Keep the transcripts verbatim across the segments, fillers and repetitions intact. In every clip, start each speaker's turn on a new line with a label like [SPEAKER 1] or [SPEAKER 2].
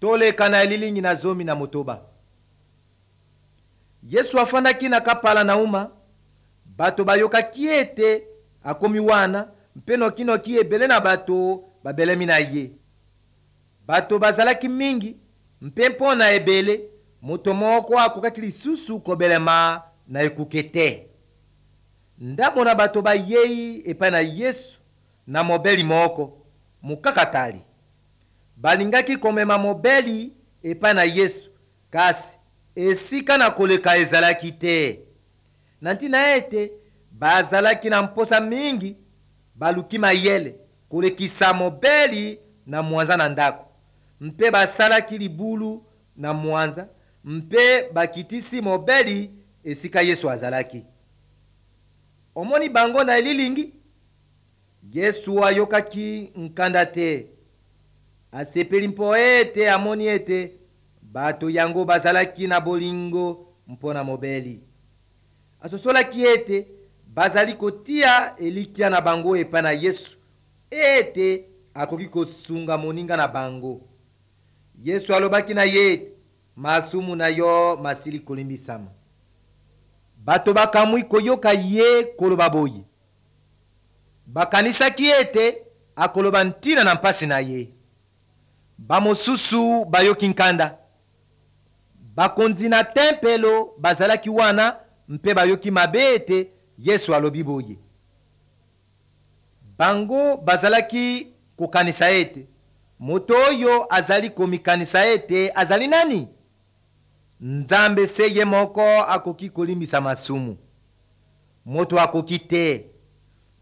[SPEAKER 1] Toleka na elilingi na zomi na motoba. Yesu afandaki na kapala na uma. Bato bayokaki ete akomi wana, mpe nokinoki ebele na bato babelemi na ye. Bato bazalaki mingi, mpe mpo na ebele moto moko akokaki lisusu kobelema na ekuke te. Ndambo na bato bayei epai na Yesu na mobeli moko mokakatali. Balingaki komema mobeli epai na Yesu, kasi esika na koleka ezalaki te. Na ntina ete bazalaki na mposa mingi, baluki mayele kolekisa mobeli na mwanza na ndako, mpe basalaki libulu na mwanza mpe bakitisi mobeli esika Yesu azalaki. Omoni bango na elilingi? Yesu ayokaki nkanda te. Asepeli mpo ete amoni ete bato yango bazalaki na bolingo mpo na mobeli. Asosolaki ete bazali kotia elikya na bango epai na Yesu, ete akoki kosunga moninga na bango. Yesu alobaki na ye ete masumu na yo masili kolimbisama. Bato bakamwi koyoka ye koloba boye. Bakanisaki ete akoloba ntina na mpasi na ye. Bamosusu bayoki nkanda. Bakonzi na tempelo bazalaki wana mpe bayoki mabe ete Yesu alobi boye. Bango bazalaki kokanisa ete moto oyo azali komikanisa ete azali nani? Nzambe se ye moko akoki kolimbisa masumu. Moto akoki te.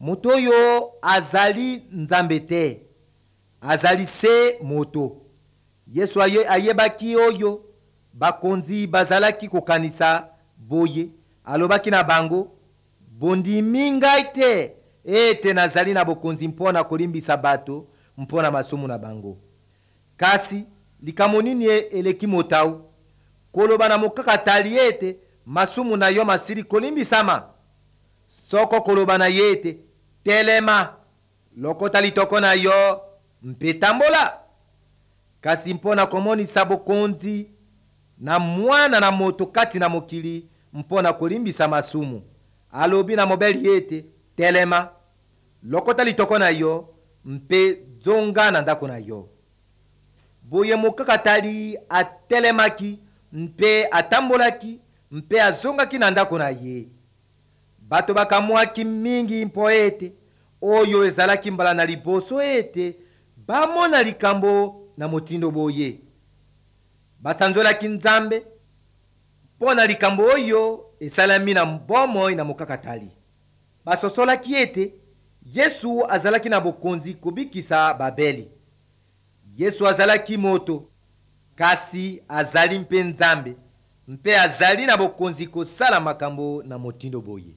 [SPEAKER 1] Moto oyo azali Nzambe te, azali se moto. Yesu aye, ayebaki oyo bakonzi bazalaki kokanisa boye. Alobaki na bango, bondimi ngai te ete nazali na bokonzi mpo na kolimbisa bato mpo na masumu na bango. Kasi likambo nini eleki motau? Koloba na mokakatali ete masumu na yo masili kolimbisama, soko koloba na ye ete telema, lokota litoko na yo mpe tambola. Kasi mpo na komonisa bokonzi na mwana na moto kati na mokili mpo na kolimbisa masumu, alobi na mobeli ete telema, lokota litoko na yo mpe zonga na ndako na yo. Boye mokakatali atelemaki mpe atambolaki mpe azongaki na ndako na ye. Bato bakamwaki mingi mpo ete oyo ezalaki mbala na liboso ete bamona likambo na motindo boye. Basanzolaki Nzambe mpo na likambo oyo esalami na bomoi na mokakatali. Basosolaki ete Yesu azalaki na bokonzi kobikisa babeli. Yesu azalaki moto, kasi azali mpe Nzambe, mpe azali na bokonzi kosala makambo na motindo boye.